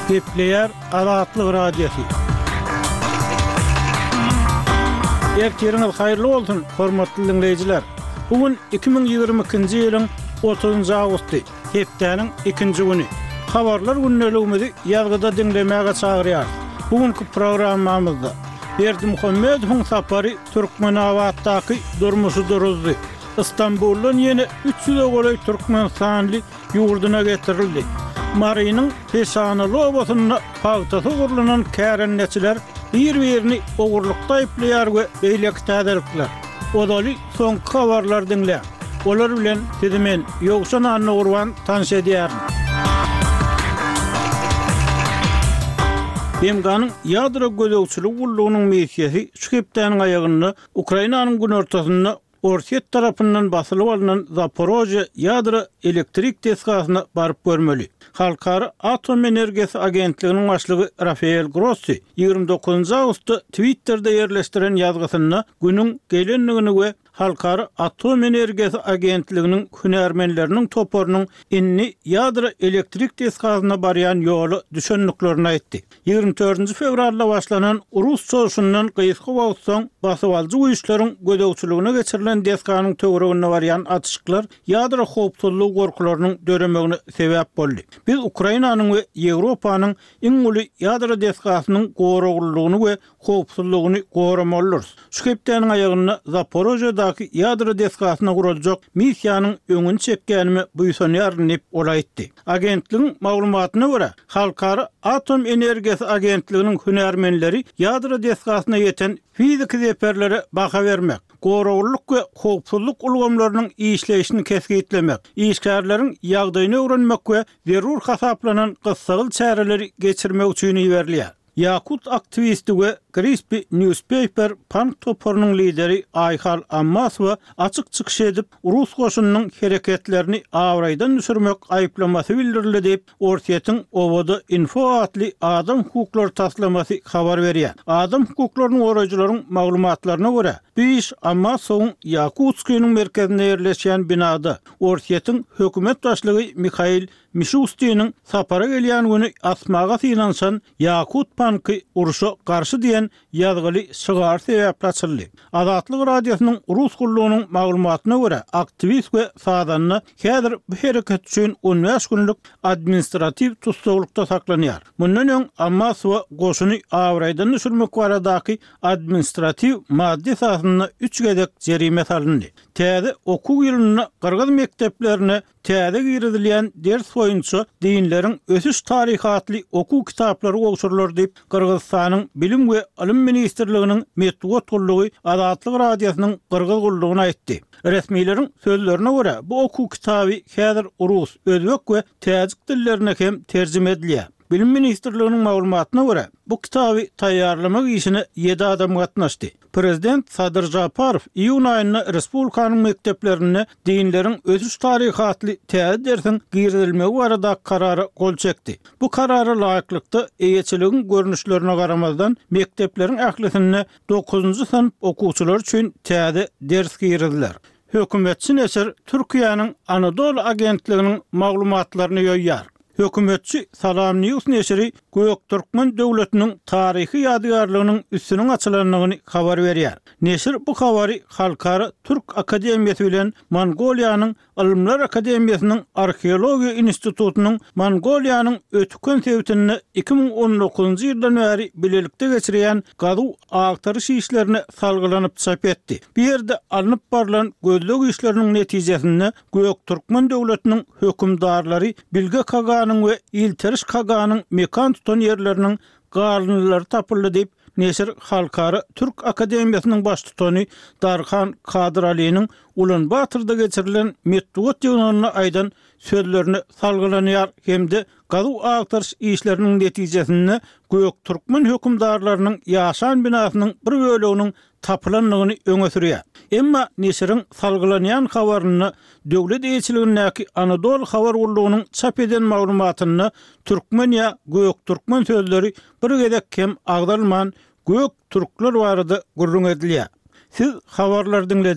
Gepleýär Azatlyk Radiosy. Ertiriňiz haýyrly bolsun, hormatly diňleýjiler! Bu gün 2022-nji ýylyň 30-njy awgusty, hepdäniň ikinji güni. Habarlar gündeligimizi ýazgyda diňlemäge çagyrýarys. Bu günki programmamyzda Berdimuhamedowyň sapary Türkmenabatdaky durmuşy duruzdy. Stambuldan ýene üç ýüze golaý türkmenistanly ýurduna getirildi. Marynyň Peşanaly obasynda pagtasy ogurlanan kärendeçiler bir-birini ogurlykda aýyplaýar we beýleki täzelikler. Ozaly soňky habarlary diňläň. Olar bilen sizi men, Ýowşan Annagurban tanyş edýärin. BMG-niň Ýadro gözegçiligi gullugynyň missiýasy şu hepdäniň aýagynda Ukrainanyň günortasynda Orsýet tarapyndan basylyp alnan Zaporožýe ýadro elektrik desgasyna baryp görmeli. Halkara atom energiýasy agentliginiň başlygy Rafael Grossi 29 awgustda Twitterde ýerleşdiren ýazgysynda günüň gelendigini we Halkara atom energiýasy agentliginiň hünärmenleriniň toparynyň indi ýadro elektrik desgasyna barýan ýola düşendiklerini aýtdy. 24 fewralda başlanan rus çozuşyndan gysga wagt soň basybalyjy güýçleriň gözegçiligine geçirilen desganyň töwereginde barýan atyşyklar ýadro howpsuzlygy gorkularynyň döremegine sebäp boldy. Biz Ukrainanyň we Ýewropanyň iň uly ýadro desgasynyň goraglylygyny we howpsuzlygyny goramalydyrys. Şu hepdäniň aýagynda Zaporožýedaky ýadro desgasyna guraljak missiýanyň öňüni çekýänime buýsanýaryn diýip, ol aýtdy. Agentligiň maglumatyna görä, Halkara atom energiýasy agentliginiň hünärmenleri ýadro desgasyna ýeten fiziki zeperlere baha bermek, goraglylyk we howpsuzlyk ulgamlarynyň işleýşini kesgitlemek, işgärleriň ýagdaýyny öwrenmek we zerur hasaplanan gyssagly çäreleri geçirmek üçin iberilýär. Ýakut aktiwisti we Crispy Newspaper pank toparynyň lideri Aýhal Ammasowa açyk çykyş edip, rus goşunynyň hereketlerini abraýdan düşürmek aýyplamasy bildirildi diýip, Orsýetiň Owada info atly adam hukuklary taslamasy habar berýär. Adam hukuklaryny goraýjylaryň maglumatlaryna görä, bu iş Ammasowyň Ýakutskiniň merkezinde ýerleşýän binada Orsýetiň hökümet başlygy Mihail Mişustiniň sapara gelýän güni asmaga synanyşan Ýakut panky urşa garşy diýen ýazgyly şygary sebäpli açyldy. Azatlyk Radiosynyň Rus gullugynyň maglumatyna görä, aktiwist we sazanda häzir bu hereket üçin on bäş günlük administratiw tussaglykda saklanýar. Mundan öň Ammasowa goşuny abraýdan düşürmek baradaky administratiw madda esasynda üç gezek jerime salyndy. Täze okuw ýylynda gyrgyz mekdeplerine Täze girizilýän ders boýunça Dinleriň ösüş taryhy atly okuw kitaplary gowşurylar diýip, Gyrgyzystanyň Bilim we ylym ministrliginiň metbugat gullugy Azatlyk Radiosynyň Gyrgyz gullugyna aýtdy. Resmileriň sözlerine görä, bu okuw kitaby häzir rus, özbek we täjik dillerine hem terjime edilýär. Bilim ministrliginiň maglumatyna görä, bu kitaby taýýarlamak işine ýedi adam gatnaşdy. Prezident Sadyr Žaparow iýun aýynda respublikanyň mekdeplerinde Dinleriň ösüş taryhy atly täze dersiň girizilmegi baradaky karara gol çekdi. Bu karara laýyklykda, eýeçiligiň görnüşlerine garamazdan, mekdepleriň ählisinde dokuzynjy synp okuwçylary üçin täze ders giriziler. Hökümetçi neşir Türkiýäniň Anadolu agentliginiň maglumatlaryny ýoýýar. Hökümetçi Salam News neşiri Göktürkmen döwletiniň taryhy ýadygärliginiň üstüniň açylandygyny habar berýär. Neşir bu habary Halkara türk akademiýasy bilen Mongoliýanyň Ylymlar akademiýasynyň Arheologiýa institutynyň Mongoliýanyň Ötüken sebitinde 2019-njy ýyldan bäri bilelikde geçirýän gazuw-agtaryş işlerine salgylanyp çap etdi. Bu ýerde alnyp barlan gözleg işleriniň netijesinde Göktürkmen döwletiniň hökümdarlary Bilge kaganyň we Ilteriş kaganyň mekan tutan ýerleriniň galyndylary tapyldy diýip, neşir Halkara türk akademiýasynyň baştutany Darhan Kadyralynyň Ulan-Batorda geçirilen metbugat ýygnagynda aýdan sözlerine salgylanýar hem-de gazuw-agtaryş işleriniň netijesinde Göktürkmen hökümdarlarynyň ýaşan binasynyň bir böleginiň tapylandygyny öňe sürýär. Emma neşiriň salgylanýan habarynda döwlet eýeçiligindäki Anadolu habar gullugynyň çap eden maglumatynda türkmen ýa göktürkmen sözleri bir gezek hem agzalman, gök türkler barada gürrüň edilýär. Siz habarlary diňlediňiz.